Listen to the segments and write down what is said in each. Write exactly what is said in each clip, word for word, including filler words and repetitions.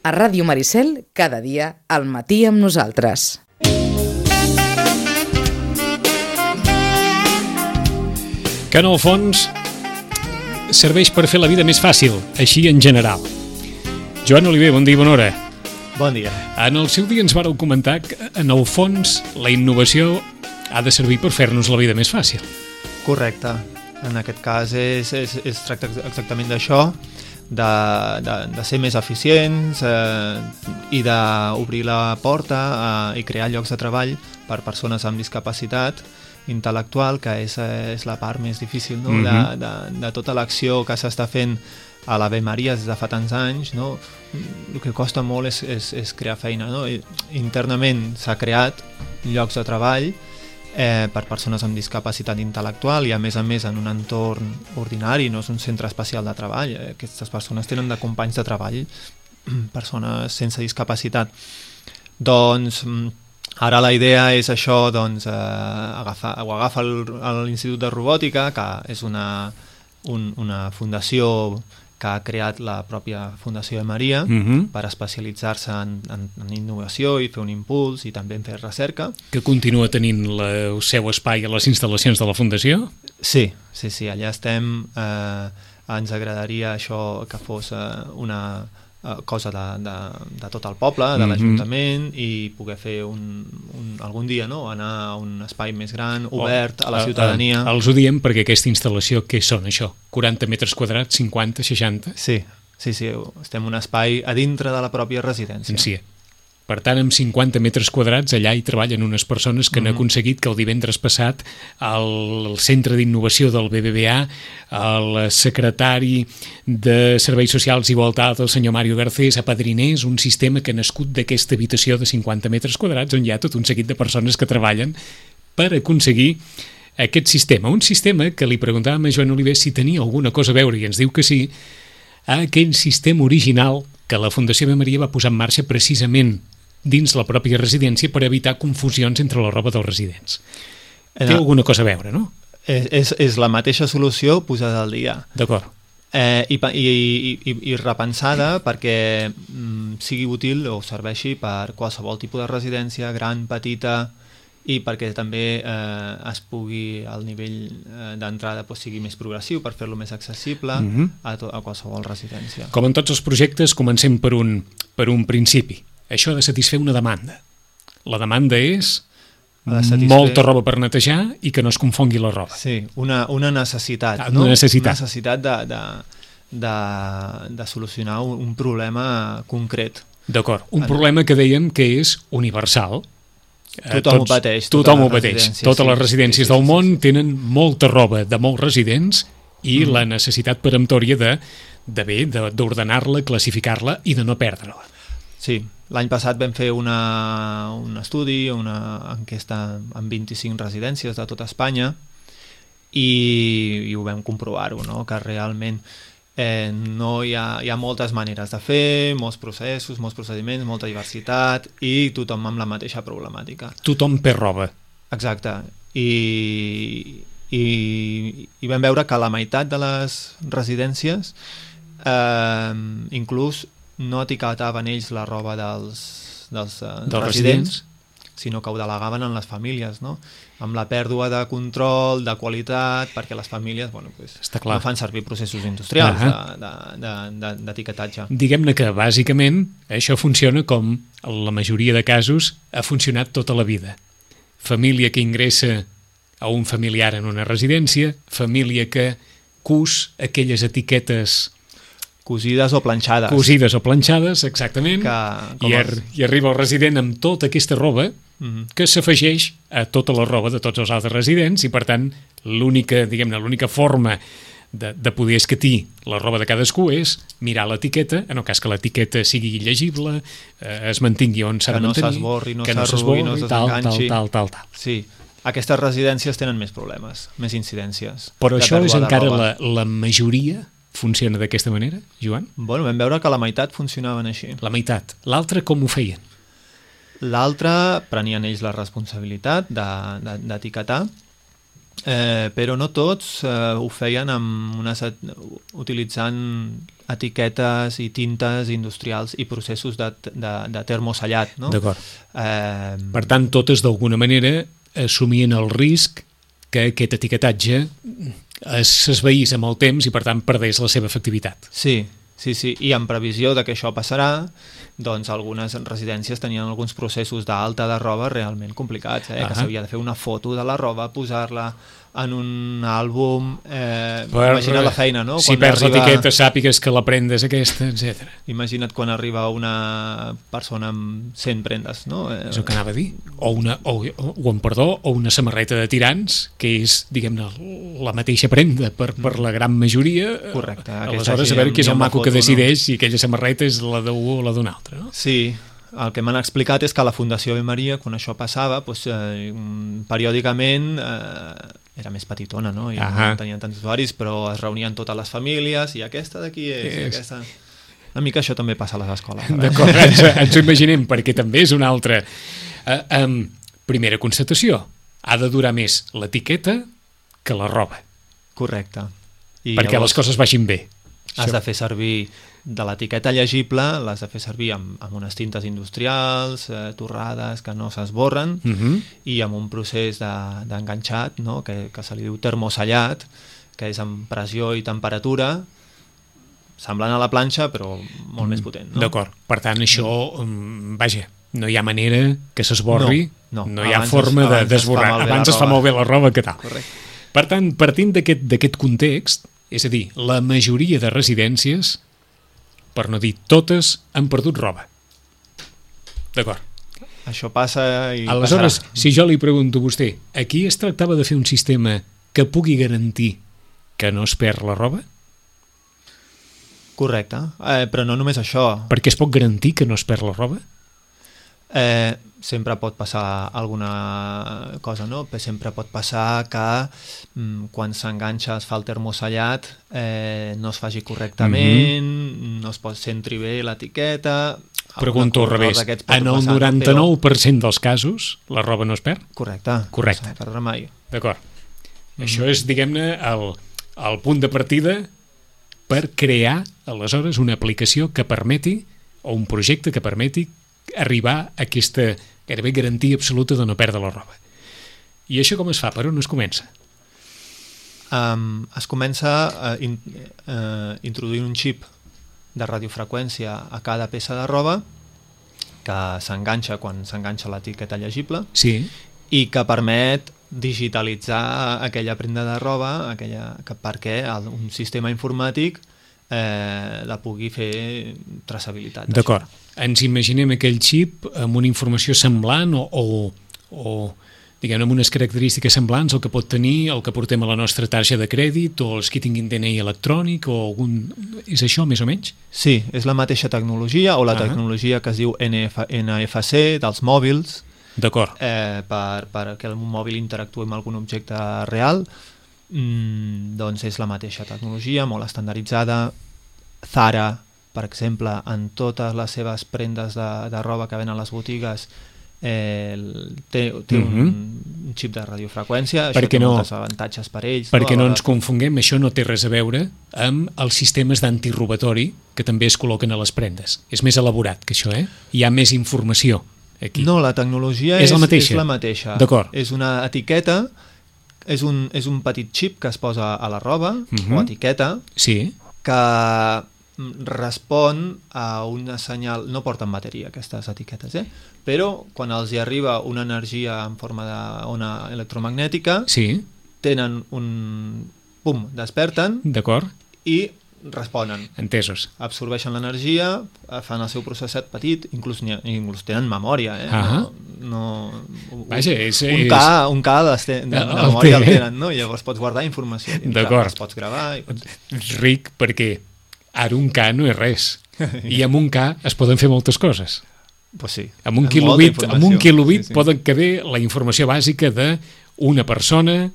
A Ràdio Maricel, cada dia, al matí amb nosaltres. Que en el fons serveix per fer la vida més fàcil, així en general. Joan Oliver, bon dia i bona hora. Bon dia. En el seu dia ens vàreu comentar que, en el fons, la innovació ha de servir per fer-nos la vida més fàcil. Correcte. En aquest cas és, és, es tracta exactament d'això, de, de, de ser més eficients eh, i d'obrir la porta eh, i crear llocs de treball per persones amb discapacitat intel·lectual, que és, és la part més difícil, no? Mm-hmm. de, de, de tota l'acció que s'està fent a l'Ave Maria des de fa tants anys, no? El que costa molt és, és, és crear feina, no? I, internament s'ha creat llocs de treball eh, per persones amb discapacitat intel·lectual i a més a més en un entorn ordinari, no és un centre especial de treball. Eh, aquestes persones tenen de companys de treball persones sense discapacitat. Doncs ara la idea és això, doncs, eh, agafar, ho agafa l'Institut de Robòtica, que és una, un, una fundació que ha creat la pròpia Fundació de Maria Mm-hmm. per especialitzar-se en, en, en innovació i fer un impuls i també en fer recerca. Que continua tenint la, el seu espai a les instal·lacions de la Fundació? Sí, sí, sí, allà estem. Eh, ens agradaria això que fos eh, una eh, cosa de, de, de tot el poble, de Mm-hmm. l'Ajuntament, i poder fer un, un, algun dia, no?, anar a un espai més gran, obert a la ciutadania. Oh, eh, els ho diem perquè aquesta instal·lació, què són això? quaranta metres quadrats, cinquanta, seixanta? Sí, sí, sí, estem en un espai a dintre de la pròpia residència. En si. Per tant, amb cinquanta metres quadrats allà hi treballen unes persones que mm-hmm. han aconseguit que el divendres passat al Centre d'Innovació del B B V A el secretari de Serveis Socials i Igualtat, el senyor Mario Garcés, apadrinés un sistema que ha nascut d'aquesta habitació de cinquanta metres quadrats on hi ha tot un seguit de persones que treballen per aconseguir aquest sistema. Un sistema que li preguntàvem a Joan Oliver si tenia alguna cosa a veure, i ens diu que sí, a aquell sistema original que la Fundació Ave Maria va posar en marxa precisament dins la pròpia residència per evitar confusions entre la roba dels residents. Té No. alguna cosa a veure, no? És, és, és la mateixa solució posada al dia. D'acord. Eh, i, i, i, i repensada perquè mm, sigui útil o serveixi per qualsevol tipus de residència, gran, petita, i perquè també eh, es pugui, al nivell eh, d'entrada pues, sigui més progressiu per fer-lo més accessible Mhm. a, to, a qualsevol residència. Com en tots els projectes, comencem per un, per un principi. Això ha de satisfer una demanda. La demanda és Ha de satisfer- molta roba per netejar i que no es confongui la roba. Sí, una, una necessitat, Ah, no? una necessitat. Una necessitat de, de, de, de solucionar un, un problema concret. D'acord. Un En- problema que dèiem que és universal. Eh, Tothom ho pateix, totes Tothom ho les pateix. residències, Totes sí. les residències Sí, sí, del sí, món sí. tenen molta roba de molts residents i Mm. la necessitat peremptòria de, de bé, de- d'ordenar-la, classificar-la i de no perdre-la. Sí, l'any passat vam fer una, un estudi, una enquesta amb vint-i-cinc residències de tota Espanya i, i ho vam comprovar-ho, no? Que realment eh, no hi ha, hi ha moltes maneres de fer, molts processos, molts procediments, molta diversitat i tothom amb la mateixa problemàtica. Tothom per roba. Exacte. I, i, i vam veure que la meitat de les residències eh, inclús no etiquetaven ells la roba dels, dels, eh, Dels residents, sinó que ho delegaven en les famílies, no? Amb la pèrdua de control, de qualitat, perquè les famílies bueno, pues, Està clar. no fan servir processos industrials Ahà. d'etiquetatge. De, de, de, Diguem-ne que, bàsicament, això funciona com en la majoria de casos ha funcionat tota la vida. Família que ingressa a un familiar en una residència, família que cus aquelles etiquetes Cosides o planxades. cosides o planxades, exactament, Que, com i, ar els- i arriba el resident amb tota aquesta roba Mhm. que s'afegeix a tota la roba de tots els altres residents i, per tant, l'única, diguem-ne, l'única forma de, de poder escatir la roba de cadascú és mirar l'etiqueta, en el cas que l'etiqueta sigui llegible, eh, es mantingui on s'ha Que de no mantenir, s'esborri, no que no s'arrugui, no s'esborri, tal, tal, s'enganxi. tal, tal, tal. Sí, aquestes residències tenen més problemes, més incidències. Però de això és pèrdua de encara roba. la, la majoria funciona d'aquesta manera, Joan? Bueno, vam veure que la meitat funcionaven així. La meitat. L'altra com ho feien? L'altre prenien ells la responsabilitat de- de- d'etiquetar eh, però no tots eh, ho feien amb unes, utilitzant etiquetes i tintes industrials i processos de, de, de termosellat. No? D'acord. Eh, per tant, totes d'alguna manera assumien el risc que aquest etiquetatge s'esvaís amb el temps i per tant perdés la seva efectivitat. Sí, sí, sí, i en previsió de que això passarà, doncs algunes residències tenien alguns processos d'alta de roba realment complicats, eh? que s'havia de fer una foto de la roba, posar-la en un àlbum, eh, per, imagina't la feina, no? Si quan perds arriba... l'etiqueta sàpigues que la prendes aquesta, etcètera. Imagina't quan arriba una persona amb cent prendes, no? Eh... És el que anava a dir. O, una, o, o, amb perdó, o una samarreta de tirants, que és, diguem-ne, la mateixa prenda per, per la gran majoria. Correcte. Aleshores, a veure qui és el maco que decideix no? si aquella samarreta és la d'un o la d'un altre, no? Sí. El que m'han explicat és que a la Fundació Ave Maria, quan això passava, doncs, eh, periòdicament eh, era més petitona, no? I no tenien tants usuaris, però es reunien totes les famílies i aquesta d'aquí és, és... aquesta... Una mica això també passa a les escoles. D'acord, ens, ens ho imaginem, perquè també és una altra... Uh, um, primera constatació, ha de durar més l'etiqueta que la roba. Correcte. I perquè llavors, les coses vagin bé. Has això. de fer servir de l'etiqueta llegible, l'has de fer servir amb, amb unes tintes industrials, eh, torrades, que no s'esborren, uh -huh. i amb un procés d'enganxat, de, no? que, que se li diu termosellat, que és amb pressió i temperatura, semblant a la planxa, però molt mm. més potent. No? D'acord. Per tant, això, um, vaja, no hi ha manera que s'esborri, no, no. no hi ha abans forma es, d'esborrar. De, abans es fa molt bé la roba que tal. Correcte. Per tant, partint d'aquest context, és a dir, la majoria de residències, per no dir totes, han perdut roba. D'acord. Això passa i aleshores, passarà. Si jo li pregunto a vostè, aquí es tractava de fer un sistema que pugui garantir que no es perd la roba? Correcte, eh, però no només això. Per què es pot garantir que no es perd la roba? Eh, sempre pot passar alguna cosa, no? Sempre pot passar que mm, quan s'enganxa, es fa el termosellat, eh, no es faci correctament, mm-hmm. no es pot centri bé l'etiqueta... Pregunto al revés, en el noranta-nou per cent dels casos la roba no es perd? Correcte, Correcte. no s'ha de perdre mai. D'acord. Mm-hmm. Això és, diguem-ne, el, el punt de partida per crear, aleshores, una aplicació que permeti, o un projecte que permeti arribar a aquesta gairebé garantia absoluta de no perdre la roba. I això com es fa? Per on es comença? Um, es comença a in, uh, introduint un xip de radiofreqüència a cada peça de roba que s'enganxa quan s'enganxa l'etiqueta llegible, sí. i que permet digitalitzar aquella prenda de roba aquella, que, perquè el, un sistema informàtic eh, la pugui fer traçabilitat. D'acord. Ens imaginem aquell xip amb una informació semblant o, o, o diguem, amb unes característiques semblants al que pot tenir el que portem a la nostra tarja de crèdit o els que tinguin D N I electrònic o algun... És això, més o menys? Sí, és la mateixa tecnologia o la uh-huh. tecnologia que es diu N F C dels mòbils. D'acord. Eh, per, per que el mòbil interactuï amb algun objecte real, mm, doncs és la mateixa tecnologia, molt estandarditzada. Zara, per exemple, en totes les seves prendes de, de roba que venen a les botigues, eh, té, té uh-huh. un, un xip de radiofreqüència, això perquè té no, molts avantatges per ells. Perquè no, no ens confonguem, això no té res a veure amb els sistemes d'antirobatori que també es col·loquen a les prendes. És més elaborat que això, eh? Hi ha més informació aquí. No, la tecnologia és, és, la, mateixa. és la mateixa. D'acord. És una etiqueta, és un, és un petit xip que es posa a la roba, uh-huh. o etiqueta, sí. que respon a una senyal, no porten bateria aquestes etiquetes, eh? Però quan els hi arriba una energia en forma d'ona electromagnètica, sí. tenen un... pum, desperten. D'acord. I responen. Entesos. Absorbeixen l'energia, fan el seu processet petit, inclús, inclús tenen memòria, eh? Uh-huh. No, no, Vaja, és, un, és... K, un K de, de, de, de memòria el tenen, no? Llavors pots guardar informació. D'acord. Els pots gravar. I pots... Ric, perquè ara un K no és res. I amb un K es poden fer moltes coses. Pues sí. Amb un kilobit, amb un kilobit sí, sí. poden caber la informació bàsica d'una persona,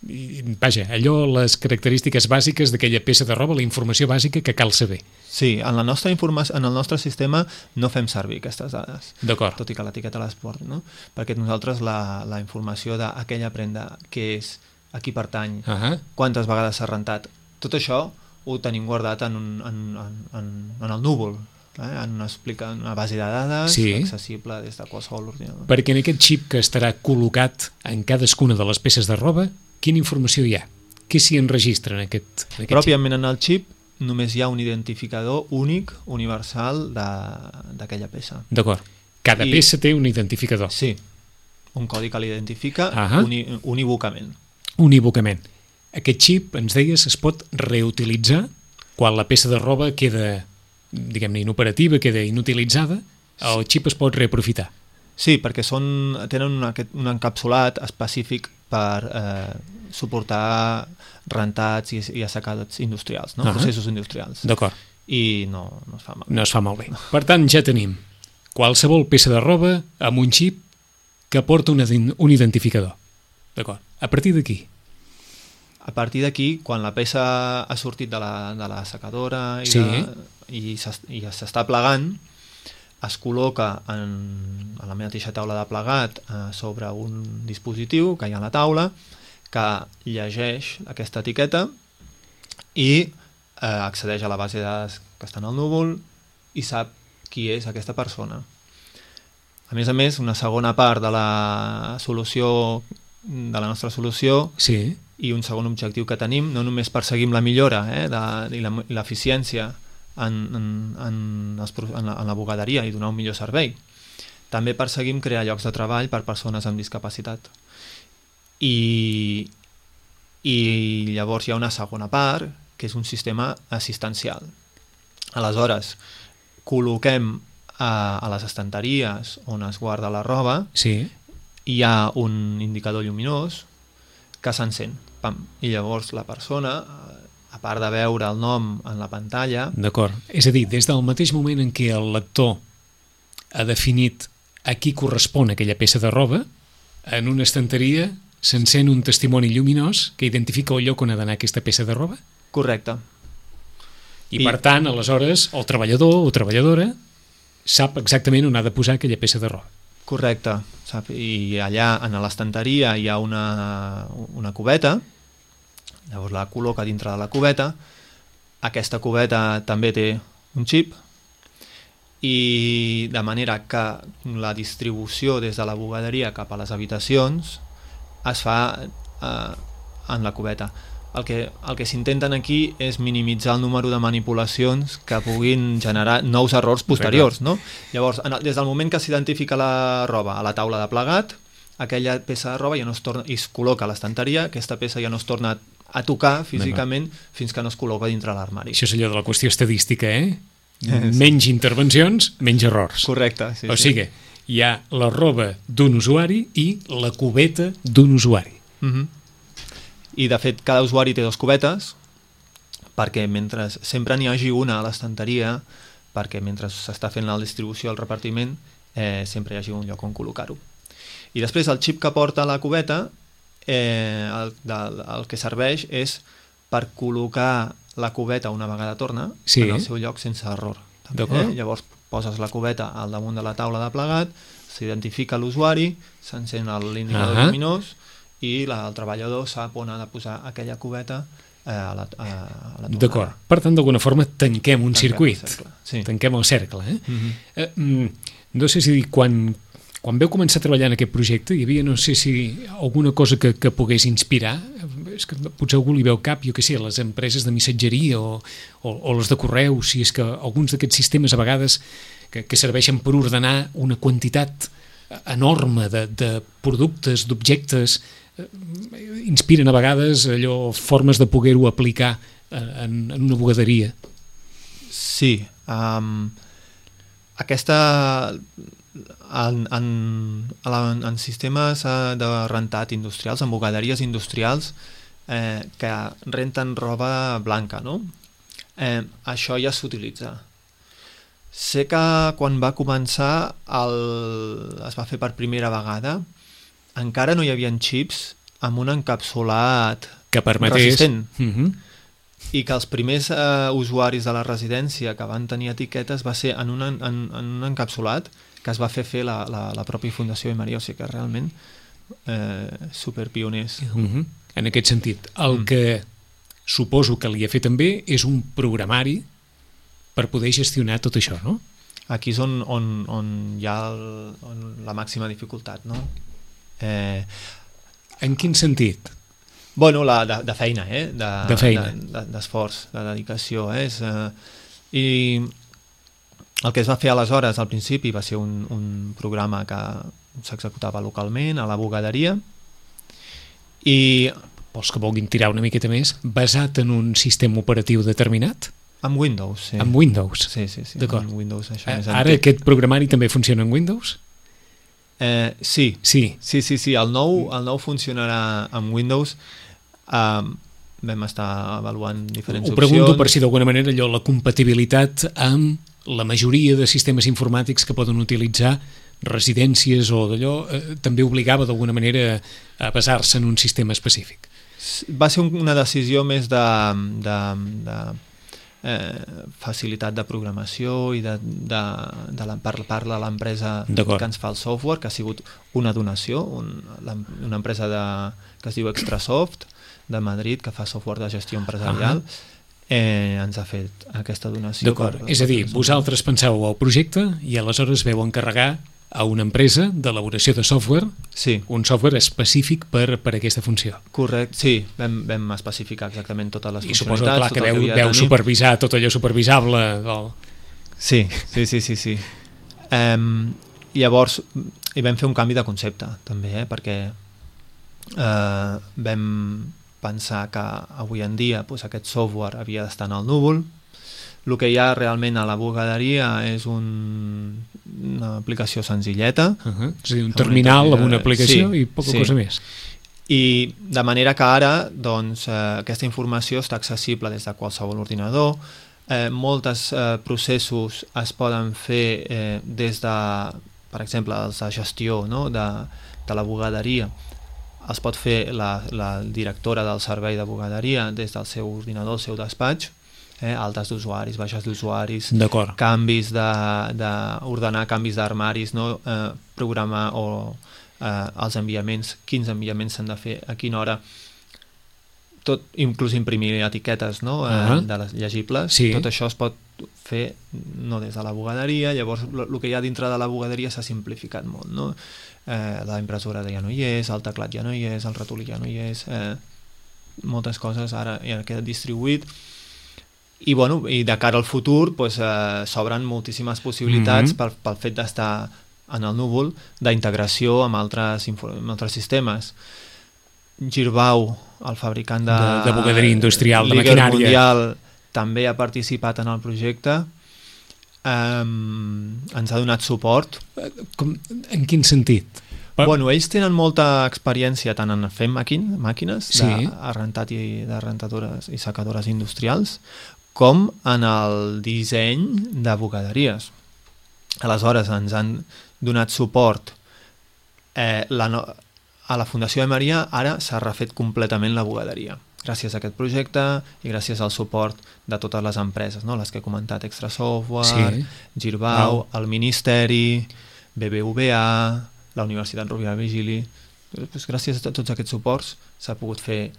i, vaja, allò, les característiques bàsiques d'aquella peça de roba, la informació bàsica que cal saber. Sí, en, la nostra informació, en el nostre sistema no fem servir aquestes dades. D'acord. Tot i que l'etiqueta les porta, no? Perquè nosaltres la, la informació d'aquella prenda que és a qui pertany, uh -huh. quantes vegades s'ha rentat. Tot això ho tenim guardat en, un, en, en, en el núvol, eh? en, una, explica, en una base de dades sí. accessible des de qualsevol ordinador. Perquè en aquest xip que estarà col·locat en cadascuna de les peces de roba, quina informació hi ha? Què s'hi enregistra en aquest, en aquest Pròpiament xip? En el xip només hi ha un identificador únic, universal d'aquella peça. D'acord. Cada I, peça té un identificador. Sí, un codi que l'identifica uh -huh. uni, unívocament. Unívocament. Aquest xip, ens deies, es pot reutilitzar quan la peça de roba queda, diguem-ne, inoperativa, queda inutilitzada, el xip es pot reaprofitar. Sí, perquè són, tenen un, un encapsulat específic per eh, suportar rentats i, i assecats industrials, no? Uh -huh. processos industrials. D'acord. I no, no es fa malbé. No es fa malbé. Per tant, ja tenim qualsevol peça de roba amb un xip que porta un, un identificador. D'acord. A partir d'aquí? A partir d'aquí, quan la peça ha sortit de la, de la secadora i, sí. de, i s'està plegant, es col·loca en, en la mateixa taula de plegat eh, sobre un dispositiu que hi ha a la taula que llegeix aquesta etiqueta i eh, accedeix a la base de dades que està en el núvol i sap qui és aquesta persona. A més a més, una segona part de la solució de la nostra solució sí. i un segon objectiu que tenim, no només perseguim la millora eh, de, i l'eficiència en, en, en, els, en, la, en la bugaderia i donar un millor servei, també perseguim crear llocs de treball per persones amb discapacitat. I, i llavors hi ha una segona part, que és un sistema assistencial. Aleshores, col·loquem a, a les estanteries on es guarda la roba, sí. hi ha un indicador lluminós que s'encén. I llavors la persona, a part de veure el nom en la pantalla... D'acord. És a dir, des del mateix moment en què el lector ha definit a qui correspon aquella peça de roba, en una estanteria s'encén un testimoni lluminós que identifica el lloc on ha d'anar aquesta peça de roba? Correcte. I, I per tant, aleshores, el treballador o treballadora sap exactament on ha de posar aquella peça de roba. Correcte. Sap? I allà, en l'estanteria, hi ha una, una cubeta, llavors la col·loca dintre de la cubeta, aquesta cubeta també té un xip, i de manera que la distribució des de la bugaderia cap a les habitacions es fa eh, en la cubeta. El que, el que s'intenten aquí és minimitzar el número de manipulacions que puguin generar nous errors posteriors, no? Llavors, en el, des del moment que s'identifica la roba a la taula de plegat, aquella peça de roba ja no es torna, i es col·loca a l'estanteria, aquesta peça ja no es torna a tocar físicament fins que no es col·loca dintre l'armari. Això és allò de la qüestió estadística, eh? Menys intervencions, menys errors. Correcte, sí. O sigui, hi ha la roba d'un usuari i la cubeta d'un usuari. Mm-hmm. I de fet cada usuari té dues cubetes perquè mentre sempre n'hi hagi una a l'estanteria, perquè mentre s'està fent la distribució al repartiment eh, sempre hi hagi un lloc on col·locar-ho. I després el xip que porta la cubeta eh, el, el, el que serveix és per col·locar la cubeta una vegada torna sí. en el seu lloc sense error. Eh? Llavors poses la cubeta al damunt de la taula de plegat, s'identifica l'usuari, s'encén l'indicador uh -huh. lluminós i la, el treballador sap on ha de posar aquella cubeta eh, a la, a, a la tornada. D'acord. Per tant, d'alguna forma tanquem un tanquem circuit. El sí. Tanquem el cercle. Eh? Mm-hmm. eh, mm, no sé si quan... Quan veu començar a treballar en aquest projecte, hi havia, no sé si alguna cosa que, que pogués inspirar, és que potser algú li veu cap, jo què sé, les empreses de missatgeria o, o, o les de correu, si és que alguns d'aquests sistemes a vegades que, que serveixen per ordenar una quantitat enorme de, de productes, d'objectes, eh, inspiren a vegades allò, formes de poder-ho aplicar en, en una bugaderia. Sí. Um, aquesta... En, en, en, en sistemes de rentat industrials, en bugaderies industrials eh, que renten roba blanca, no? Eh, això ja s'utilitza. Sé que quan va començar el, es va fer per primera vegada, encara no hi havia xips amb un encapsulat que permetés... resistent. Uh-huh. I que els primers eh, usuaris de la residència que van tenir etiquetes va ser en un, en, en un encapsulat que es va fer fer la, la, la pròpia Fundació Maria, o sigui que realment eh, superpioners. Uh-huh. En aquest sentit, el Mm. que suposo que li ha fet també és un programari per poder gestionar tot això, no? Aquí és on, on, on hi ha el, on la màxima dificultat, no? Eh, En quin sentit? bueno, la, de, de feina, eh? De, De feina. De, de, d'esforç, de dedicació, eh? És, eh? I el que es va fer aleshores, al principi, va ser un, un programa que s'executava localment a la bugaderia i Vols que vulguin tirar una miqueta més? Basat en un sistema operatiu determinat? amb Windows, sí. Amb Windows? Sí, sí, sí. D'acord. Amb Windows, això Eh, més Ara antic. aquest programari també funciona en Windows? Eh, sí, Sí. sí, sí, sí. El nou, el nou funcionarà amb Windows. Um, vam estar avaluant diferents Ho pregunto opcions. per si d'alguna manera allò, la compatibilitat amb la majoria de sistemes informàtics que poden utilitzar residències o d'allò, eh, també obligava d'alguna manera a basar-se en un sistema específic. Va ser un- una decisió més de, de, de eh, facilitat de programació i de, de, de la, per part de l'empresa D'acord. que ens fa el software, que ha sigut una donació, un, la, una empresa de, que es diu Extrasoft, de Madrid, que fa software de gestió empresarial, eh, ens ha fet aquesta donació. D'acord, per- és a dir, per- vosaltres penseu el projecte i aleshores veu encarregar a una empresa d'elaboració de software, Sí, un software específic per, per aquesta funció. correcte, sí, vam, vam especificar exactament totes les I suposo funcionalitats. clar, que tot el veu, havia de veu tenir. supervisar tot allò supervisable del... Sí, sí, sí, sí, sí. Um, llavors, hi vam fer un canvi de concepte, també, eh? perquè uh, vam pensar que avui en dia pues, aquest software havia d'estar en el núvol. El que hi ha realment a la bugaderia és un, una aplicació senzilleta, Uh -huh. És a dir, un Una terminal amb interfície- una aplicació sí, i poca sí. cosa més. i de manera que ara doncs, eh, aquesta informació està accessible des de qualsevol ordinador. Eh, molts eh, processos es poden fer eh, des de, per exemple, els de gestió, no? de, de la bugaderia. Els pot fer la, la directora del servei de bugaderia des del seu ordinador, el seu despatx, eh? altes d'usuaris, baixes d'usuaris, D'acord. canvis de, de ordenar canvis d'armaris, no? eh, programar o eh, els enviaments, quins enviaments s'han de fer, a quina hora, tot, inclús imprimir etiquetes, no? eh, Ah. de les llegibles, Sí. tot això es pot fer no des de la bugaderia. Llavors el que hi ha dintre de la bugaderia s'ha simplificat molt, no? Eh, la impressora ja no hi és, el teclat ja no hi és, el ratolí ja no hi és, eh, moltes coses ara ja queda distribuït. I, bueno, i de cara al futur pues, eh, s'obren moltíssimes possibilitats Mhm. pel, pel fet d'estar en el núvol, d'integració amb altres, info- amb altres sistemes. Girbau, el fabricant de, De- de bugaderia industrial, de líder maquinària. mundial, també ha participat en el projecte. Um, ens ha donat suport. Com, en quin sentit? Per... Bueno, ells tenen molta experiència tant en fer màquin, màquines Sí. d'arrentat i de rentadores i secadores industrials com en el disseny de bugaderies. Aleshores ens han donat suport. Eh, la no... A la Fundació de Maria ara s'ha refet completament la bugaderia gràcies a aquest projecte i gràcies al suport de totes les empreses, no? Les que he comentat, Extra Software, Sí. Girbau, Wow. el Ministeri, B B V A, la Universitat Rovira i Virgili. Pues gràcies a tots aquests suports s'ha pogut fer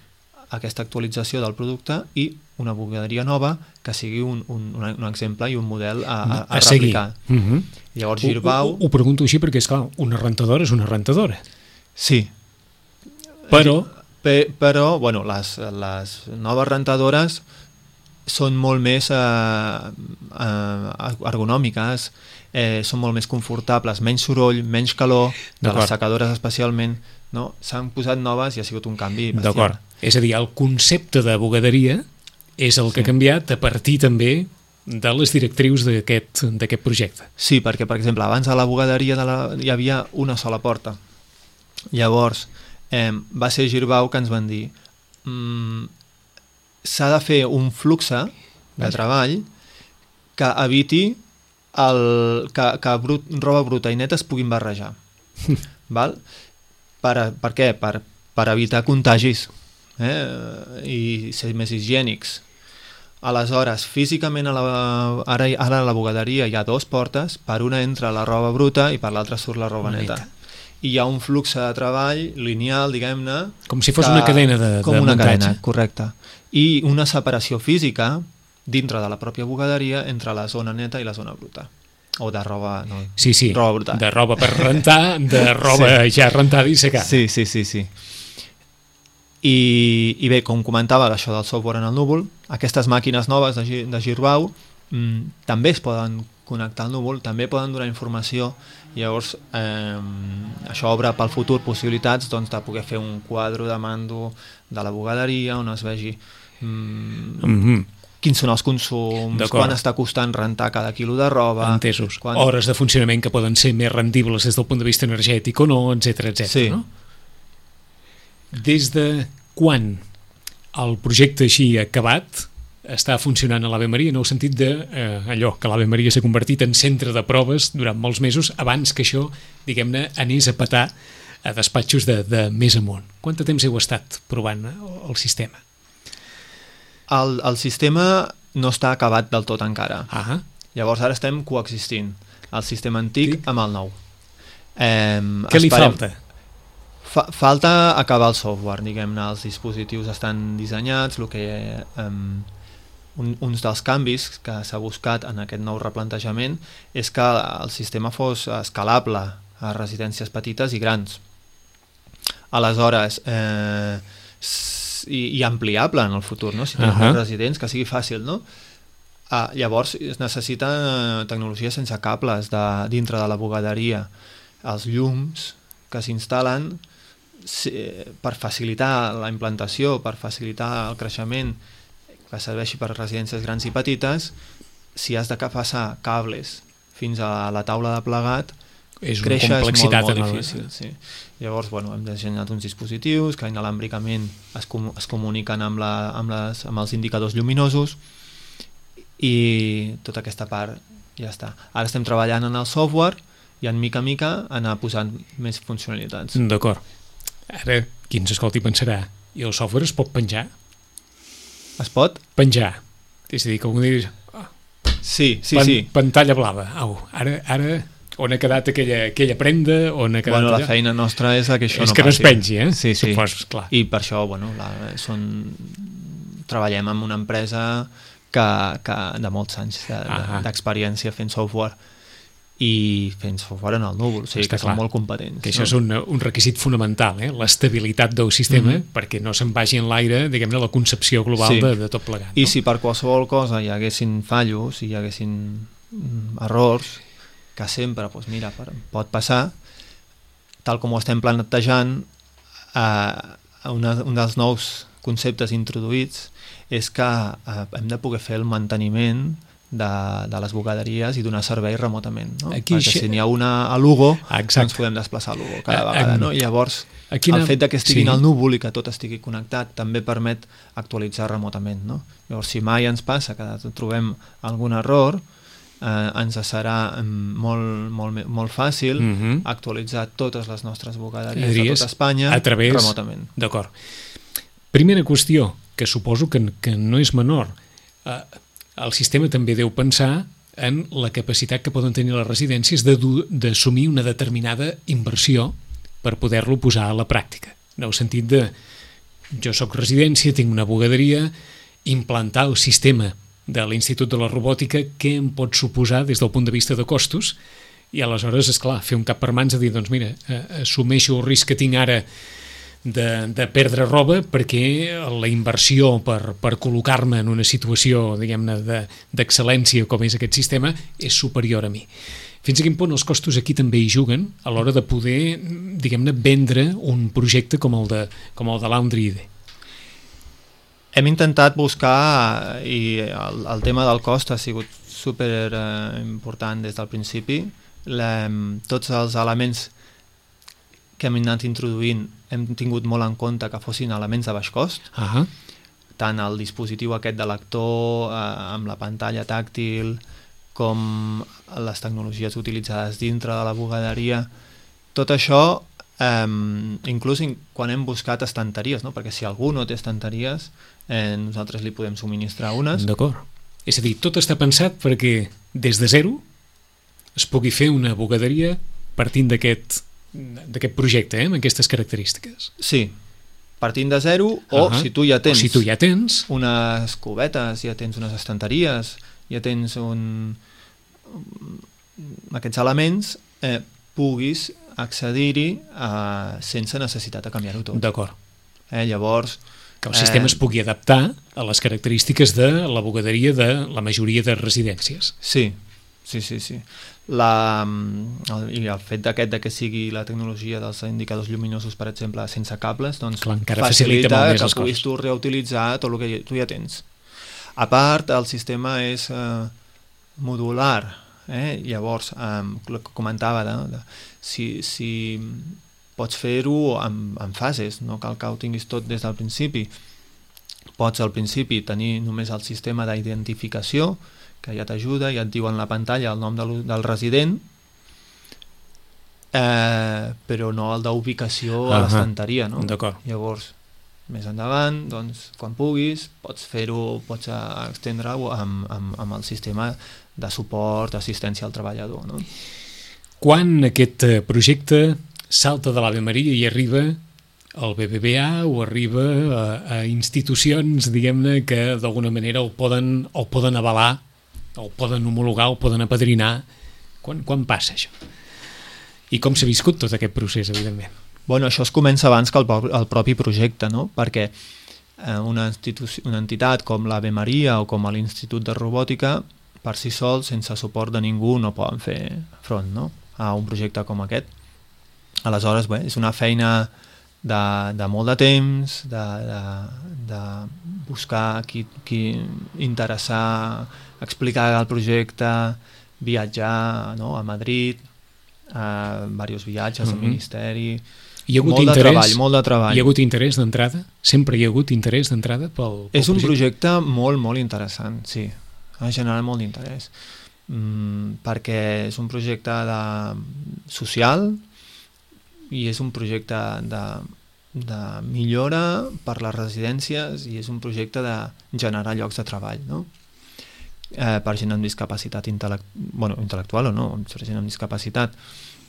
aquesta actualització del producte i una bugaderia nova que sigui un, un, un exemple i un model a, a, a, a seguir. replicar. Uh -huh. Llavors Ho, Girbau... ho, ho pregunto així perquè, esclar, una rentadora és una rentadora. Sí. Però... Pe, però, bueno, les, les noves rentadores són molt més eh, eh, ergonòmiques, eh, són molt més confortables, menys soroll, menys calor, de les secadores especialment, no? S'han posat noves i ha sigut un canvi bestial. D'acord. És a dir, el concepte de bugaderia és el que Sí. ha canviat a partir també de les directrius d'aquest d'aquest projecte. Sí, perquè, per exemple, abans a la bugaderia de la, hi havia una sola porta. Llavors, eh, va ser Girbau que ens van dir mm, s'ha de fer un flux de treball que eviti el, que, que brut, roba bruta i neta es puguin barrejar. Val? Per, per què? Per, per evitar contagis eh? i ser més higiènics. Aleshores, físicament a la, ara, ara a la bugaderia hi ha dues portes, per una entra la roba bruta i per l'altra surt la roba neta. neta. i hi ha un flux de treball lineal, diguem-ne... Com si fos que, una cadena de, com de una muntatge. Cadena, correcte. I una separació física dintre de la pròpia bugaderia entre la zona neta i la zona bruta. O de roba... No, sí, sí, roba bruta. De roba per rentar, de roba sí. ja rentada i secada. Sí, sí, sí, sí. I, I bé, com comentava, això del software en el núvol, aquestes màquines noves de, de Girbau mm, també es poden connectar al núvol, també poden donar informació, i llavors eh, això obre pel futur possibilitats doncs, de poder fer un quadre de mando de la bugaderia on es vegi mm, mm-hmm. quins són els consums, quan està costant rentar cada quilo de roba... Entesos. Quan... Hores de funcionament que poden ser més rendibles des del punt de vista energètic o no, etcètera, etcètera. Sí. No? Des de quan el projecte així acabat està funcionant a l'Ave Maria, en el sentit de eh, allò, que l'Ave Maria s'ha convertit en centre de proves durant molts mesos abans que això, diguem-ne, anés a petar a despatxos de, de més amunt. Quant de temps heu estat provant el sistema? El, el sistema no està acabat del tot encara. Ah. Llavors ara estem coexistint el sistema antic sí. amb el nou. Eh, Què li esperem... falta? Fa, falta acabar el software, diguem-ne, els dispositius estan dissenyats, el que, um, un, uns dels canvis que s'ha buscat en aquest nou replantejament és que el sistema fos escalable a residències petites i grans. Aleshores, eh, i, i ampliable en el futur, no? Si tenim uh -huh. residents, que sigui fàcil, no? Ah, llavors es necessita tecnologia sense cables de, dintre de la bugaderia. Els llums que s'instal·len per facilitar la implantació, per facilitar el creixement, que serveixi per residències grans i petites, si has de passar cables fins a la taula de plegat, és una créixer complexitat és molt, molt el... difícil. Sí. Llavors, bueno, hem dissenyat uns dispositius que inalàmbricament es, com es comuniquen amb, la, amb, les, amb els indicadors lluminosos i tota aquesta part ja està. Ara estem treballant en el software i en mica a mica anar posant més funcionalitats. D'acord. Ara, qui ens escolti pensarà, i el software es pot penjar? Es pot? Penjar. És a dir, que algú dius... Oh, sí, sí, pan, sí. Pantalla blava. Au, ara, ara, on ha quedat aquella, aquella prenda? On ha quedat bueno, allà? La feina nostra és que això és no que passi. no es pengi, eh? Sí, sí. Supos, clar. I per això, bueno, la, són... treballem amb una empresa que, que de molts anys d'experiència de, de, fent software i fent software en el núvol, o sigui Està que clar. Són molt competents. Que això no? és un, un requisit fonamental, eh? L'estabilitat del sistema, mm -hmm. perquè no se'n vagi en l'aire, diguem-ne, la concepció global sí. de, de tot plegat. No? I si per qualsevol cosa hi haguessin fallos, hi haguessin mm, errors, que sempre, doncs mira, pot passar, tal com ho estem plantejant, eh, una, un dels nous conceptes introduïts és que eh, hem de poder fer el manteniment de, de les bugaderies i donar servei remotament, no? Aquí perquè si n'hi ha una a Lugo, Exacte. doncs podem desplaçar a Lugo cada vegada, no? I llavors Quina... el fet de que estigui sí. al núvol i que tot estigui connectat també permet actualitzar remotament, no? Llavors si mai ens passa que trobem algun error, eh, ens serà molt, molt, molt fàcil mm -hmm. actualitzar totes les nostres bugaderies de tota Espanya a través... remotament. D'acord. Primera qüestió, que suposo que, que no és menor. Eh, el sistema també deu pensar en la capacitat que poden tenir les residències d'assumir una determinada inversió per poder-lo posar a la pràctica. En el sentit de, jo sóc residència, tinc una bugaderia, implantar el sistema de l'Institut de la Robòtica, què em pot suposar des del punt de vista de costos, i aleshores, és clar, fer un cap per mans a dir, doncs mira, assumeixo el risc que tinc ara de, de perdre roba perquè la inversió per, per col·locar-me en una situació, diguem-ne, d'excel·lència com és aquest sistema és superior a mi. Fins a quin punt els costos aquí també hi juguen a l'hora de poder, diguem-ne, vendre un projecte com el de, com el de Laundry I D? Hem intentat buscar, i el, el tema del cost ha sigut super eh, important des del principi. La, tots els elements que hem anat introduint hem tingut molt en compte que fossin elements de baix cost. Uh -huh. Tant el dispositiu aquest de lector eh, amb la pantalla tàctil com les tecnologies utilitzades dintre de la bugaderia. Tot això, eh, inclús quan hem buscat estanteries, no? Perquè si algú no té estanteries, eh, nosaltres li podem subministrar unes. D'acord. És a dir, tot està pensat perquè des de zero es pugui fer una bugaderia partint d'aquest d'aquest projecte, eh, amb aquestes característiques. Sí, partint de zero, o uh -huh. si tu ja tens, si tu ja tens unes cubetes, ja tens unes estanteries, ja tens un... aquests elements, eh, puguis accedir-hi eh, sense necessitat de canviar-ho tot. D'acord. Eh, llavors... Que el sistema eh, es pugui adaptar a les característiques de la bugaderia de la majoria de residències. Sí, sí, sí, sí. La, el, i el fet d'aquest de que sigui la tecnologia dels indicadors lluminosos, per exemple, sense cables, doncs clar, encara facilita, facilita molt més que els puguis coses. tu reutilitzar tot el que tu ja tens. A part, el sistema és eh, modular, eh? Llavors, eh, el que comentava, de, de, si, si pots fer-ho en, en fases, no cal que ho tinguis tot des del principi. Pots al principi tenir només el sistema d'identificació, que ja t'ajuda, ja et diu en la pantalla el nom del, del resident, eh, però no el d'ubicació uh -huh. a l'estanteria, no? D'acord. Llavors, més endavant, doncs, quan puguis, pots fer-ho, pots extendre-ho amb, amb, amb el sistema de suport, assistència al treballador, no? Quan aquest projecte salta de l'Ave Maria i arriba al B B V A o arriba a, a institucions, diguem-ne, que d'alguna manera el poden, el poden avalar, el poden homologar, el poden apadrinar, quan, quan passa això? I com s'ha viscut tot aquest procés, evidentment? Bueno, això es comença abans que el, el propi projecte, no? Perquè eh, una, una entitat com l'Ave Maria o com l'Institut de Robòtica, per si sol, sense suport de ningú, no poden fer front, no?, a un projecte com aquest. Aleshores, bé, és una feina de, de molt de temps, de, de, de buscar qui, qui interessar, explicar el projecte, viatjar, no?, a Madrid, a diversos viatges, mm-hmm. al Ministeri... Hi ha hagut molt interès, de treball, molt de treball. Hi ha hagut interès d'entrada? Sempre hi ha hagut interès d'entrada pel, pel És un projecte? projecte molt, molt interessant, sí. Ha generat molt d'interès. Mm, perquè és un projecte de, social i és un projecte de, de millora per les residències i és un projecte de generar llocs de treball, no? Eh, per gent amb discapacitat intel·lect... bueno, intel·lectual o no, per gent amb discapacitat,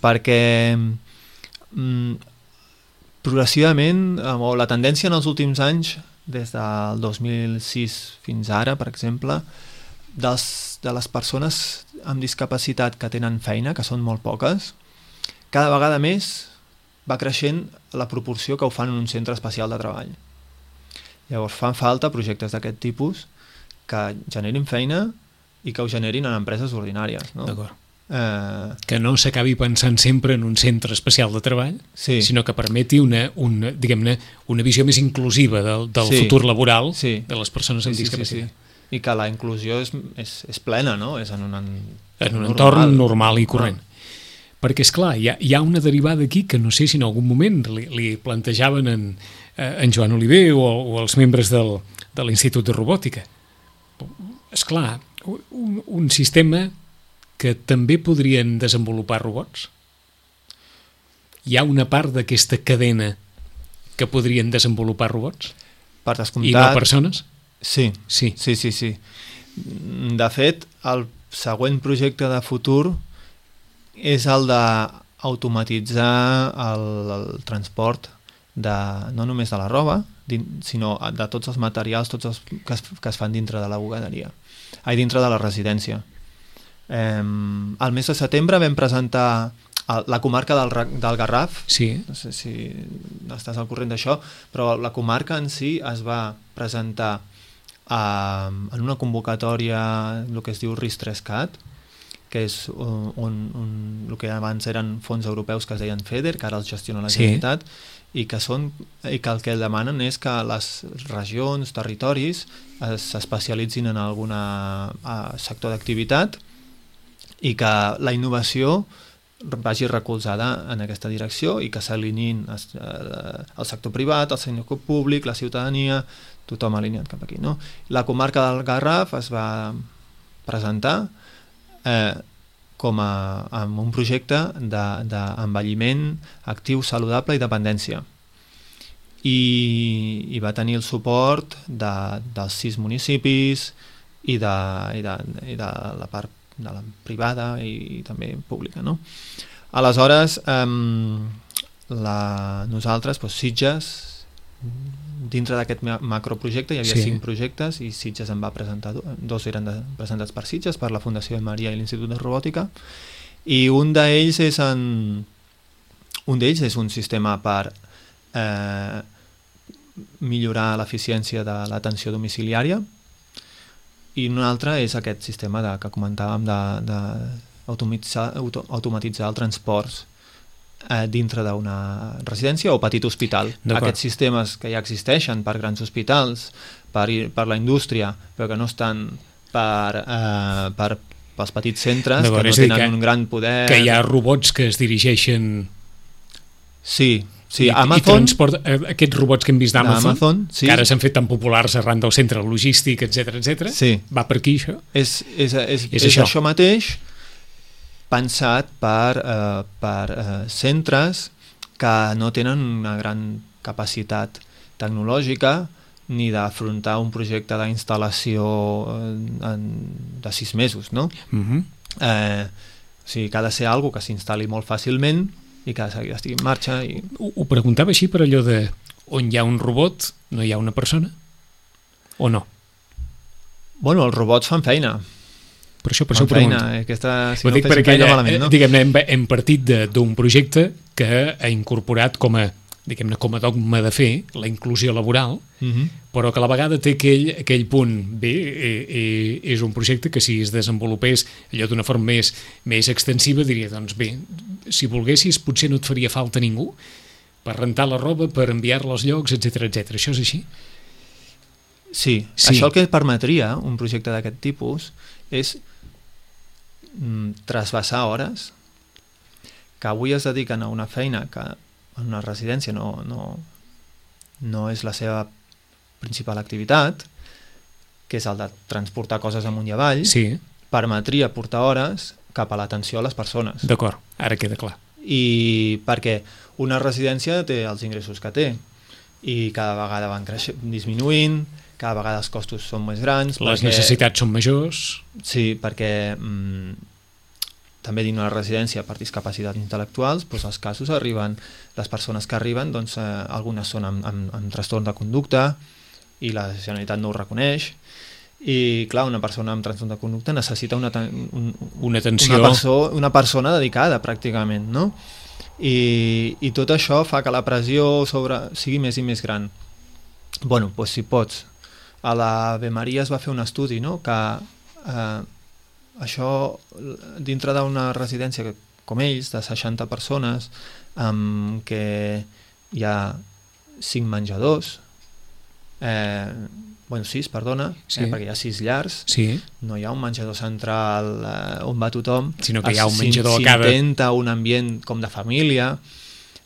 perquè mm, progressivament, o la tendència en els últims anys, des del dos mil sis fins ara, per exemple, dels, de les persones amb discapacitat que tenen feina, que són molt poques, cada vegada més va creixent la proporció que ho fan en un centre especial de treball. Llavors fan falta projectes d'aquest tipus que generin feina i que ho generin en empreses ordinàries, no? D'acord. Eh... Que no s'acabi pensant sempre en un centre especial de treball, sí. sinó que permeti una, una, diguem-ne, una visió més inclusiva del, del sí. futur laboral sí. de les persones amb sí, sí, discapacitat. Sí, sí. I que la inclusió és, és, és plena, no? És en un, en, en un normal. entorn normal i corrent. Ah. Perquè, esclar, hi ha, hi ha una derivada aquí que no sé si en algun moment li, li plantejaven en, en Joan Oliver o, o els membres del, de l'Institut de Robòtica. Esclar, un, un sistema que també podrien desenvolupar robots? Hi ha una part d'aquesta cadena que podrien desenvolupar robots? Per descomptat. I no persones? Sí, sí, sí, sí, sí. De fet, el següent projecte de futur és el d'automatitzar el, el transport de, no només de la roba, sinó de tots els materials tots els que, es, que es fan dintre de la bugaderia, ai, dintre de la residència. Eh, el mes de setembre vam presentar la comarca del, del Garraf, sí. no sé si estàs al corrent d'això, però la comarca en si es va presentar eh, en una convocatòria, el que es diu RIS-tres-cat, que és un, un, un, el que abans eren fons europeus que es deien FEDER, que ara els gestiona la Generalitat, sí. i, que són, i que el que demanen és que les regions, territoris, s'especialitzin en algun sector d'activitat i que la innovació vagi recolzada en aquesta direcció i que s'alineïn el sector privat, el sector públic, la ciutadania, tothom alineat cap aquí, no? La comarca del Garraf es va presentar eh, com a, amb un projecte d'envelliment actiu, saludable i dependència. I, i va tenir el suport de, dels sis municipis i de, i de, i de la part de la privada i, i també pública, no? Aleshores, um, la, nosaltres, doncs, Sitges, dintre d'aquest macroprojecte hi havia sí. cinc projectes i Sitges en va presentar, dos eren de, presentats per Sitges, per la Fundació de Maria i l'Institut de Robòtica, i un d'ells és en, un d'ells és un sistema per eh, millorar l'eficiència de l'atenció domiciliària, i un altre és aquest sistema de, que comentàvem de, de automatitzar, auto, automatitzar el transport eh, dintre d'una residència o petit hospital. Aquests sistemes que ja existeixen per grans hospitals, per, per la indústria, però que no estan per, eh, per, pels petits centres, que no tenen que, un gran poder... Que hi ha robots que es dirigeixen... Sí, sí. I, Amazon, i transport, aquests robots que hem vist d'Amazon, sí. que ara s'han fet tan populars arran del centre logístic, etcètera, etcètera, sí. va per aquí, això? És, és, és, és, és això. això mateix, pensat per, eh, per eh, centres que no tenen una gran capacitat tecnològica ni d'afrontar un projecte d'instal·lació en, de sis mesos, no? Uh-huh. eh, o sigui, que ha de ser algo que s'instal·li molt fàcilment i que estigui en marxa. I... Ho, ho preguntava així per allò de on hi ha un robot, no hi ha una persona? O no? Bueno, els robots fan feina. Per això, per això ho pregunto. Feina, aquesta, si ho no dic perquè feina malament, no? Diguem-ne, hem, hem partit d'un projecte que ha incorporat com a diguem-ne, com a dogma de fer, la inclusió laboral, uh-huh. però que a la vegada té aquell, aquell punt. Bé, eh, eh, és un projecte que si es desenvolupés allò d'una forma més, més extensiva, diria, doncs bé, si volguessis potser no et faria falta ningú per rentar la roba, per enviar-la als llocs, etcètera, etcètera. Això és així? Sí. sí, això el que permetria un projecte d'aquest tipus és mm, trasbassar hores que avui es dediquen a una feina que en una residència no, no, no és la seva principal activitat, que és el de transportar coses amunt i avall, sí. permetria portar hores cap a l'atenció a les persones. D'acord, ara queda clar. I perquè una residència té els ingressos que té i cada vegada van creixer, disminuint, cada vegada els costos són més grans. Les perquè, necessitats són majors. Sí, perquè... Mm, també dins una residència per discapacitats intel·lectuals, doncs els casos arriben, les persones que arriben, doncs, eh, algunes són amb, amb, amb trastorn de conducta i la Generalitat no ho reconeix, i clar, una persona amb trastorn de conducta necessita una, un, una atenció, una, perso una persona dedicada pràcticament, no? I, i tot això fa que la pressió sobre sigui més i més gran. Bueno, doncs si pots, a la Ave Maria es va fer un estudi, no?, que eh, això dintre d'una residència que, com ells, de seixanta persones, amb què hi ha cinc menjadors, eh, bueno, sis, perdona, sí. eh, perquè hi ha sis llars, sí. no hi ha un menjador central eh, on va tothom, sinó que hi ha un menjador a cada... s'intenta un ambient com de família,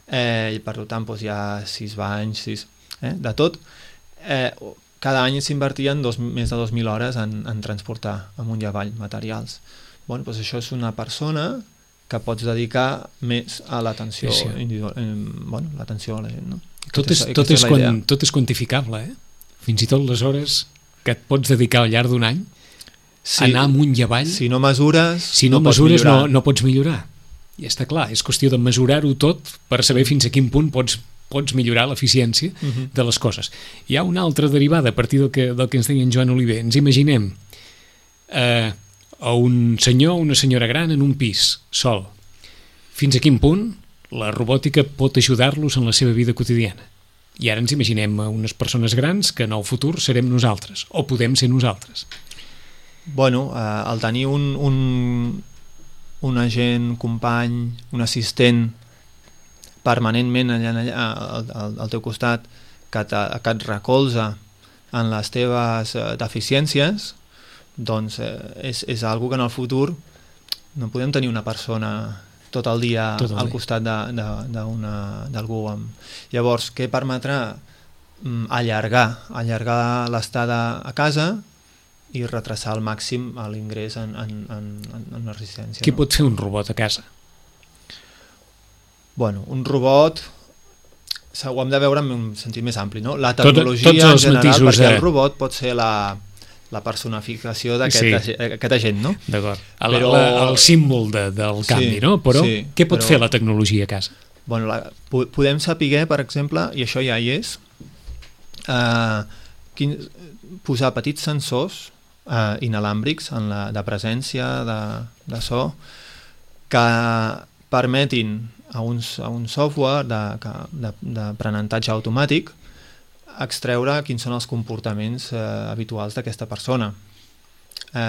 eh, i per tant doncs, hi ha sis banys, sis, eh, de tot, eh, cada any s'invertien més de dos mil hores en, en transportar amunt i avall materials. Bueno, doncs això és una persona que pots dedicar més a l'atenció sí, sí. individual, eh, bueno, l'atenció a la gent, no? Tot és, tot, és quan, tot és quantificable, eh? Fins i tot les hores que et pots dedicar al llarg d'un any, sí, anar amunt i avall... Si no mesures, si no, no mesures no, no pots millorar. I està clar, és qüestió de mesurar-ho tot per saber fins a quin punt pots pots millorar l'eficiència uh-huh. de les coses. Hi ha una altra derivada a partir del que, del que ens deia en Joan Oliver. Ens imaginem eh, a un senyor o una senyora gran en un pis, sol. Fins a quin punt la robòtica pot ajudar-los en la seva vida quotidiana? I ara ens imaginem a unes persones grans que en el futur serem nosaltres, o podem ser nosaltres. Bueno, eh, el tenir un, un, un agent, company, un assistent permanentment allà, allà al, al, al teu costat que, te, que et recolza en les teves eh, deficiències, doncs eh, és, és algo que en el futur no podem tenir una persona tot el dia tot el al dia. Costat d'algú. Llavors, què permetrà? Mm, allargar, allargar l'estada a casa i retrasar al màxim l'ingrés en, en, en, en una residència. Què no? pot fer un robot a casa? Bueno, un robot ho hem de veure en un sentit més ampli, no? La tecnologia Tot, en general, perquè el robot pot ser la, la personificació d'aquest Sí. aquest agent, no? D'acord. El, Però- la, el símbol de, del canvi, Sí, no? Però sí, què pot però- fer la tecnologia a casa? Bueno, la, po- podem saber, per exemple, i això ja hi és, eh, quin, posar petits sensors eh, inalàmbrics en la, de presència, de, de so, que permetin a un, a un software d'aprenentatge automàtic extreure quins són els comportaments eh, habituals d'aquesta persona. Eh,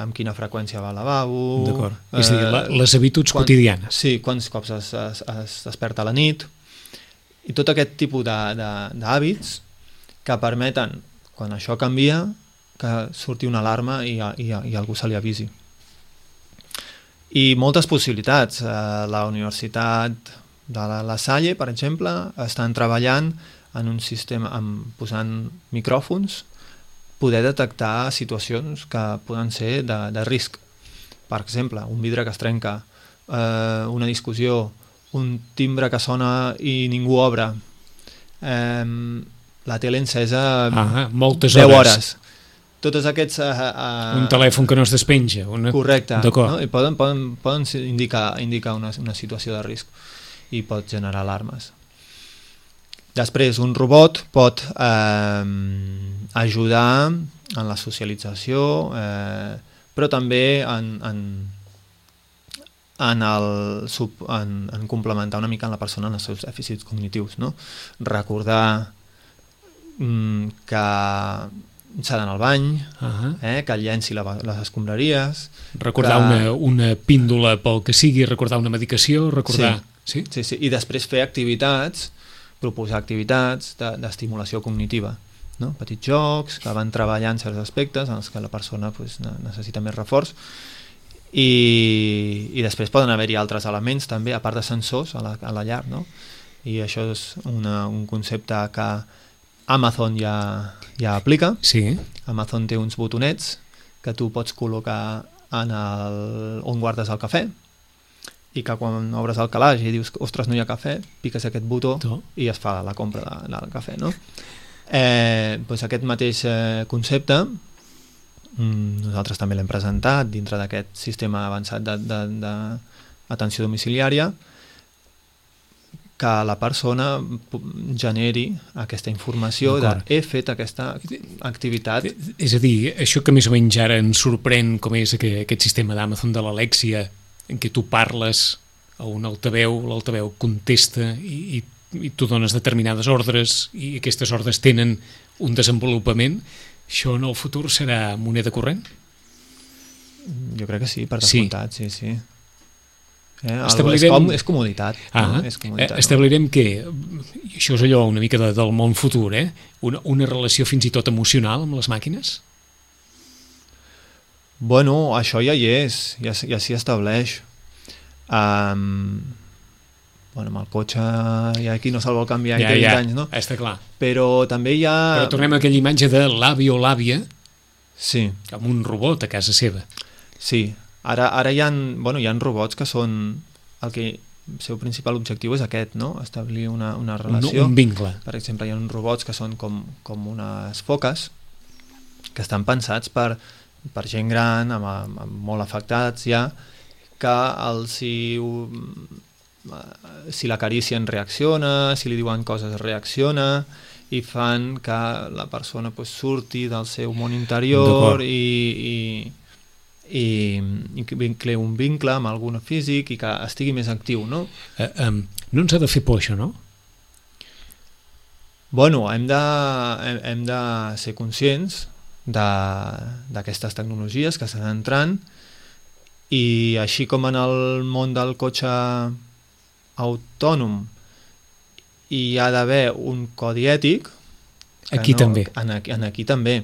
amb quina freqüència va al lavabo... D'acord. És a dir, la, eh, les habituds quan- quotidianes. Sí, quants cops es, es, es desperta a la nit, i tot aquest tipus de- de- d'hàbits que permeten, quan això canvia, que surti una alarma i, i, i algú se li avisi. I moltes possibilitats. Eh, la Universitat de la, la Salle, per exemple, estan treballant en un sistema, amb, posant micròfons, poder detectar situacions que poden ser de, de risc. Per exemple, un vidre que es trenca, eh, una discussió, un timbre que sona i ningú obre, eh, la tele encesa Ah, moltes deu hores. hores. Totes aquests... Eh, eh, Un telèfon que no es despenja. Una... Correcte. D'acord. No? I poden, poden, poden ser- indicar, indicar una, una situació de risc i pot generar alarmes. Després, un robot pot eh, ajudar en la socialització, eh, però també en, en, en, el, sub, en, en complementar una mica en la persona en els seus dèficits cognitius. No? Recordar mm, que s'ha d'anar al bany, Ah, eh, que llenci la, les escombraries... recordar que- una, una píndola pel que sigui, recordar una medicació, recordar... Sí? Sí, sí, i després fer activitats, proposar activitats de- d'estimulació cognitiva, no? Petits jocs que van treballant certs aspectes en els que la persona pues, ne- necessita més reforç, i, i després poden haver-hi altres elements també, a part de sensors a la, a la llar, no? I això és una, un concepte que Amazon ja, ja aplica. Sí. Amazon té uns botonets que tu pots col·locar en el, on guardes el cafè, i que quan obres el calaix i dius, ostres, no hi ha cafè, piques aquest botó To. i es fa la compra de, del cafè, no? Eh, doncs aquest mateix eh, concepte mm, nosaltres també l'hem presentat dintre d'aquest sistema avançat d'atenció domiciliària, que la persona generi aquesta informació de he fet aquesta activitat. És a dir, això que més o menys ara ens sorprèn, com és aquest, aquest sistema d'Amazon de l'Alexia, en què tu parles a un altaveu, l'altaveu contesta i, i, i tu dones determinades ordres i aquestes ordres tenen un desenvolupament, això en el futur serà moneda corrent? Jo crec que sí, per Sí. descomptat, sí, sí. Eh, Establirem- és, com, és comoditat. Ah, no? És comoditat, eh, establirem que, i això és allò una mica de, del món futur, eh? una, una relació fins i tot emocional amb les màquines? Bueno, això ja hi és, ja, ja s'hi estableix. Um, bueno, amb el cotxe ja aquí no se'l vol canviar Ja, ja, ja, anys, no? està clar. Però també hi ha... Però tornem a aquella imatge de l'avi o l'àvia Sí, amb un robot a casa seva. sí. Ara, ara hi ha, bueno, hi ha robots que són... El que el seu principal objectiu és aquest, no? Establir una, una Un, relació. un vincle. Per exemple, hi ha uns robots que són com, com unes foques que estan pensats per, per gent gran, amb, amb, amb molt afectats ja, que el, si, si l'acaricien reacciona, si li diuen coses reacciona, i fan que la persona pues, surti del seu món interior i, i, i, i que vincle un vincle amb algun físic i que estigui més actiu, no? Eh, um, no ens ha de fer por això, no? Bueno, hem de, hem, hem de ser conscients d'aquestes tecnologies que estan entrant, i així com en el món del cotxe autònom hi ha d'haver un codi ètic, que Aquí també. En aquí, en aquí també.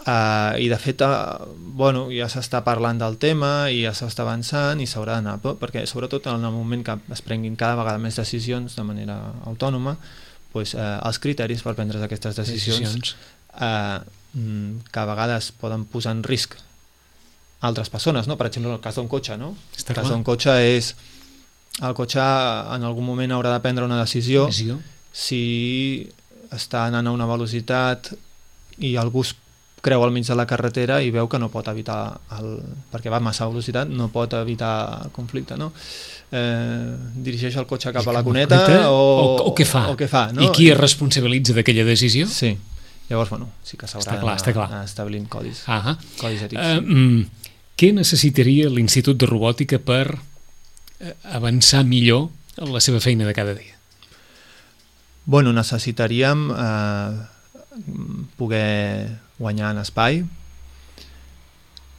Uh, I de fet, uh, bueno, ja s'està parlant del tema i ja s'està avançant i s'haurà d'anar, perquè sobretot en el moment que es prenguin cada vegada més decisions de manera autònoma, pues, uh, els criteris per prendre aquestes decisions, decisions. Uh, que a vegades poden posar en risc altres persones, no? Per exemple, en el cas d'un cotxe, no? Està el cas clar. d'un cotxe és... El cotxe en algun moment haurà de prendre una decisió, Decisió. si està anant a una velocitat i algú creu al mig de la carretera i veu que no pot evitar, el, perquè va a massa velocitat, no pot evitar el conflicte, no? Eh, dirigeix el cotxe cap a la cuneta o, o, o què fa, o què fa no? I qui es responsabilitza d'aquella decisió? Sí, llavors bueno, sí que s'haurà d'anar establint codis, ah codis ètics. Uh, mm, què necessitaria l'Institut de Robòtica per avançar millor en la seva feina de cada dia? Bueno, necessitaríem eh, poder guanyar en espai.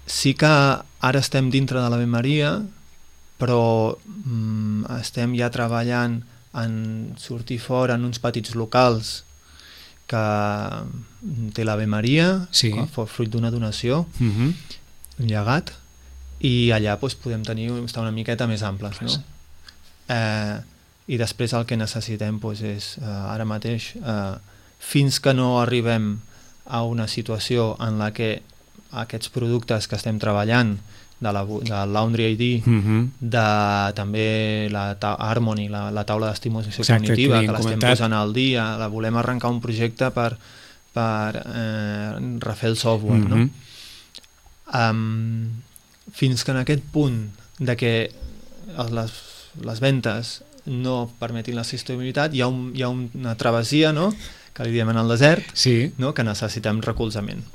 Sí que ara estem dintre de l'Ave Maria, però mm, estem ja treballant en sortir fora en uns petits locals que té l'Ave Maria, sí. fruit d'una donació, uh-huh. un llegat, i allà doncs, podem tenir, estar una miqueta més amples, no? Eh, i després el que necessitem doncs, és eh, ara mateix, eh, fins que no arribem a una situació en la que aquests productes que estem treballant de la de Laundry I D, uh-huh. de també la Harmony, la, la taula d'estimulació cognitiva, que, que l'estem posant al dia, la volem arrencar un projecte per, per eh, refer el software, uh-huh. no? Um, fins que en aquest punt de que les, les ventes no permetin la sostenibilitat, hi ha, un, hi ha una travessia, no?, que li diem en el desert, sí. no?, que necessitem recolzament.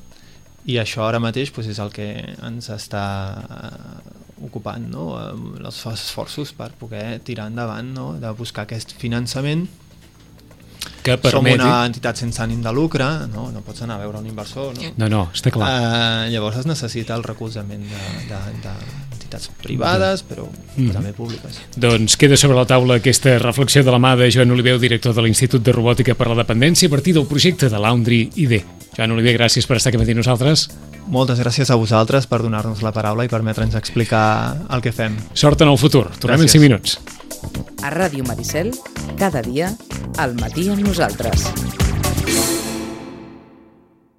I això ara mateix pues, és el que ens està uh, ocupant, no?, els esforços per poder tirar endavant, no?, de buscar aquest finançament. Que permeti... Som una entitat sense ànim de lucre, no, no pots anar a veure un inversor, no? No, no, està clar. Uh, llavors es necessita el recolzament d'entitats privades, però mm. també públiques. Doncs queda sobre la taula aquesta reflexió de la mà de Joan Oliver, director de l'Institut de Robòtica per a la Dependència, a partir del projecte de Laundry I D. Joan Oliver, gràcies per estar aquí amb nosaltres. Moltes gràcies a vosaltres per donar-nos la paraula i permetre'ns explicar el que fem. Sort en el futur. Tornem en cinc minuts. A Ràdio Maricel, cada dia, al matí amb nosaltres.